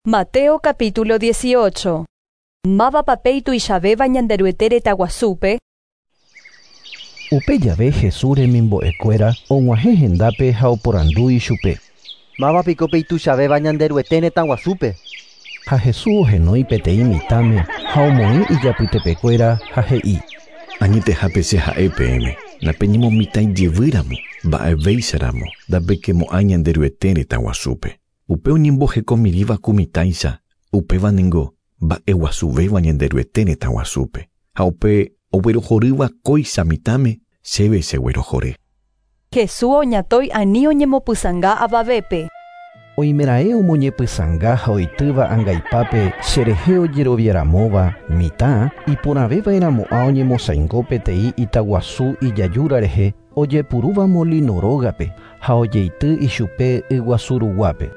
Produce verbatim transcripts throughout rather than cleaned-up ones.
Mateo capítulo dieciocho. Mávapa pe ituichavéva Ñanderuete retã guasúpe. Upe jave Jesús remimbo'ekuéra og̃uahẽ hendápe ha oporandu ichupe. Mávapiko pe ituichavéva Ñanderuete retã guasúpe. Ha Jesús ohenói peteĩ mitãme ha omoĩ ijapytepekuéra ha he'i. Añetehápe che ha'e peẽme, napeñemomitãijevýramo, mba'evéicharamo, ndapekemo'ãi Ñanderuete retã guasúpe. Upe oñembohekomirĩva ku mitãicha, upéva ningo mba'eguasuvéva Ñanderuete retã guasúpe. Ha upe oguerohorýva kóicha mitãme, chéve cheguerohory. Jesús oñatõi ani oñemopysãnga avavépe. Oimeraẽ omoñepysãnga ha oitýva angaipápe cherehe ojeroviaramóva mitã iporãvéva'erãmo'ã oñemosãingo peteĩ itaguasu ijajúra rehe ojepurúva molino rógape ha ojeity ichupe yguasu ruguápe.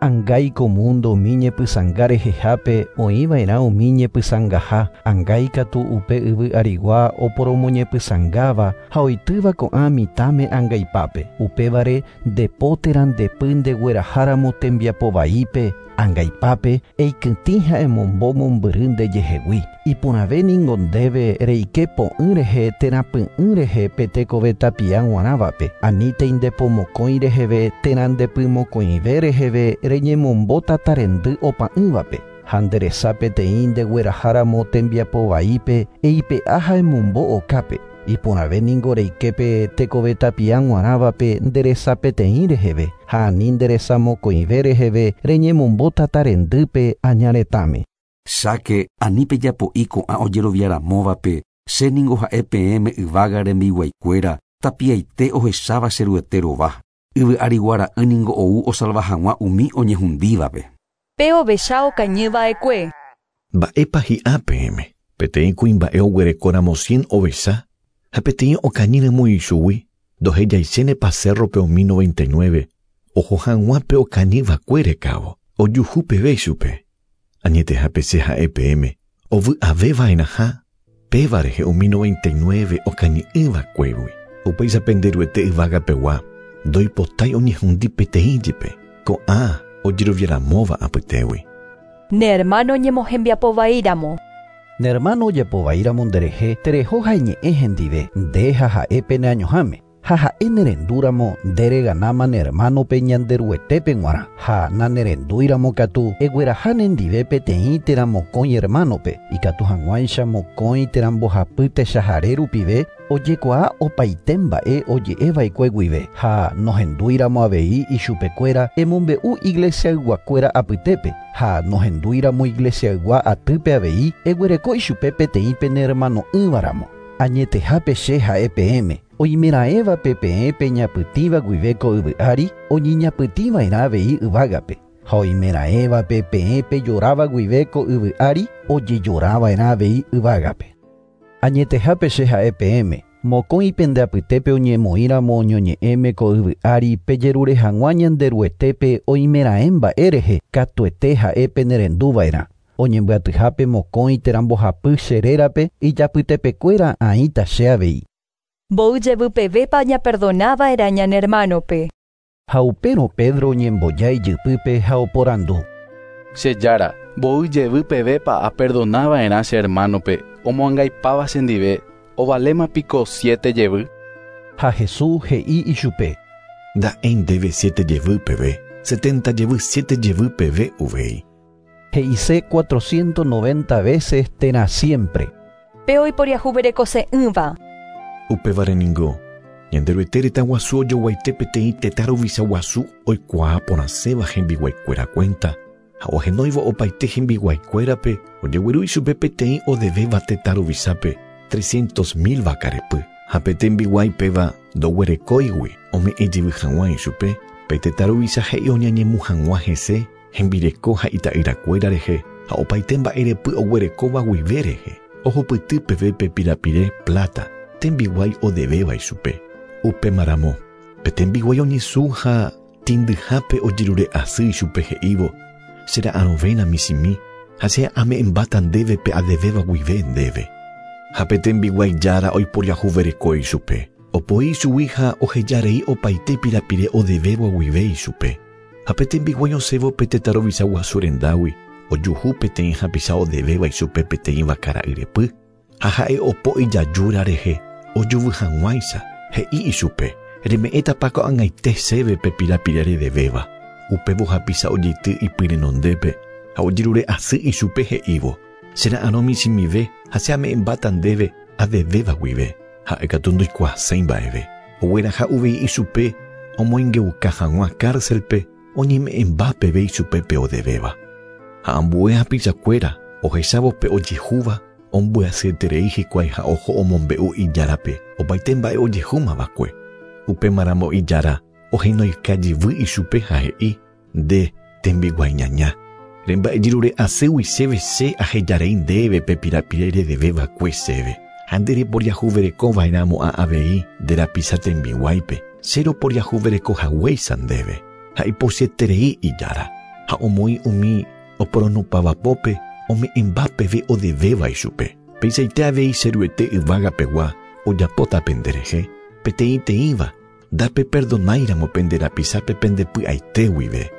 Angái ko mundo umi ñepysãnga rehehápe oĩva'erã umi ñepysãngaha, angái katu upe yvy arigua oporomoñepysãngáva ha oitýva ko'ã mitãme angaipápe. Upévare ndepo térã ndepy ndegueraháramo tembiapo vaípe angaipápe eikytĩ ha emombo mombyry ndejehegui. Iporãve ningo ndéve reike po'ỹ rehe térã py'ỹ rehe pe tekove tapia g̃uarãvape, anítei ndepomokõi reheve térã ndepymokõive reheve reñemombo tatarendy opa'ỹvape. Ha nderesa peteĩ ndegueraháramo tembiapo vaípe eipe'a ha emombo okápe. Iporãve ningo reiképe tekove tapia g̃uarãvape nderesa peteĩ reheve ha ani nderesa mokõive reheve reñemombo tatarendýpe aña retãme. Cháke ani pejapo'i ko'ã ojeroviaramóvape, che ningo ha'e peẽme yvága rembiguaikuéra tapiaite ohecháva che Ruete rova. Yvy ariguara'ỹ ningo ou osalva hag̃ua umi oñehundívape. Pe ovecha okañýva'ekue. Mba'épa hi'a peẽme, peteĩ kuimba'e oguerekóramo cien ovecha ha peteĩ okañýramo ichugui, ndohejaichénepa cerro-pe umi noventa y nueve, oho hag̃ua pe okañýva'ekue rekávo, ojuhu peve ichupe. Añetehápe che ha'e peẽme, ovy'avéva'erãha péva rehe umi noventa y nueve okañy'ỹva'ekuégui. Upéicha Penderuete yvágapegua, ndoipotái oñehundi peteĩ jepe, ko'ã ojeroviaramóva apytégui. Ne hermano ñemohembiapovaíramo. Ne hermano ojapovaíramo nderehe, tereho ha iñe'ẽ hendive, nde ha ha'e peneañoháme. Ha ha'e nerendúramo ndereganáma ne hermanope Ñanderuetépe g̃uarã. Ha nanerendúiramo katu egueraha nendive peteĩ térã mokõi hermanope, ikatu hag̃uáicha mokõi térã mbohapy techahare rupive ojekuaa opaite mba'e oje'eva'ekue guive. Ha nohendúiramo avei ichupekuéra emombe'u iglesiayguakuéra apytépe. Ha nohendúiramo iglesiaygua atýpe avei eguereko ichupe peteĩ pene hermano'ỹvaramo. Añetehápe che ha'e peẽme, oimeraẽvape peẽ peñapytĩva guive ko yvy ári, oñeñapytĩva'erã avei yvágape. Ha oimeraẽvape peẽ pejoráva guive ko yvy ári, ojejorava'erã avei yvágape. Añetehápe che ha'e peẽme, mokõi pende apytépe oñemoĩramo oñoñe'ẽme ko yvy ári pejerure hag̃ua Ñanderuetépe oimeraẽ mba'e rehe, katuete ha'e penerendúva'erã. Oñembyatyhápe mokõi térã mbohapy che rérape ijapytepekuéra aĩta che avei. Mboy jevypevépa ñaperdonava'erã ñane hermanope. Ha upérõ Pedro oñemboja ijypýpe ha oporandu. Che jára, mboy jevypevépa aperdonava'erã che hermanope, omoangaipáva chendive, ovaléma piko siete jevy. Ha Jesús he'i ichupe. Nda'éi ndéve siete jevy peve, setenta jevy siete jevy peve uvei. He'ise cuatrocientos noventa veces térã siempre. Pe oiporiahuverekose'ỹva. Upévare ningo, Ñanderuete retã guasu ojoguaite peteĩ tetã ruvicha guasu oikuaa porãséva hembiguaikuéra cuenta, ha ohenóivo opaite hembiguaikuérape ojegueru ichupe peteĩ odevéva tetã ruvichápe trescientos mil vakarepy. Ha pe tembiguái péva ndoguerekóigui ome'ẽ jevy hag̃ua ichupe, pe tetã ruvicha he'i oñañemu hag̃ua hese hembireko ha ita'yrakuéra rehe ha opaite mba'erepy oguerekóva guive rehe, ohupyty peve pe pirapire plata tembiguái odevéva ichupe. Upémaramo, pe tembiguái oñesũ ha tĩndyhápe ojerure asy ichupe he'ívo, chera'arõvéna michĩmi ha che ame'ẽmbáta ndéve pe adevéva guive ndéve. Ha pe tembiguái jára oiporiahuvereko ichupe. Opoi ichugui ha ohejarei opaite pirapire odevéva guive ichupe. Ha pe tembiguái osẽvo pe tetã ruvicha guasu rendágui ojuhu peteĩ hapicha odevéva ichupe peteĩ vaka ra'yrepy ha ha'e opo ijajúra rehe ojuvy hag̃uáicha he'i ichupe reme'ẽtapa ko'ag̃aite chéve pe pirapire redevéva. Upévo hapicha ojeity ipyrenondépe ha ojerure asy ichupe he'ívo chera'arõ michĩmive ha che ame'ẽmbáta ndéve adevéva guive. Ha'e katu ndoikuaaséi mba'eve. Ogueraha uvei ichupe omoingeuka hag̃ua cárcelpe oñeme'ẽmba peve ichupe pe odevéva. Ha ambue hapichakuéra ohechávo pe ojehúva ombyasyeterei hikuái ha oho omombe'u ijárape opaite mba'e ojehúmavakue. Upémaramo ijára ohenoika jevy ichupe ha he'i nde tembiguái ñaña. Remba'ejerure asýgui chéve che ahejarei ndéve pe pirapire redevévakue chéve. Ha ndereporiahuverekova'erãmo'ã avei nde rapicha tembiguáipe che roporiahuverekohaguéicha ndéve. Ha ipochyeterei ijára ha omoĩ umi oporonupavapópe ome'ẽmba peve odevéva ichupe. Peichaite avei cheruete yvágapegua ojapóta penderehe peteĩteĩva ndapeperdonáiramo pende rapichápe pendepy'aite guive.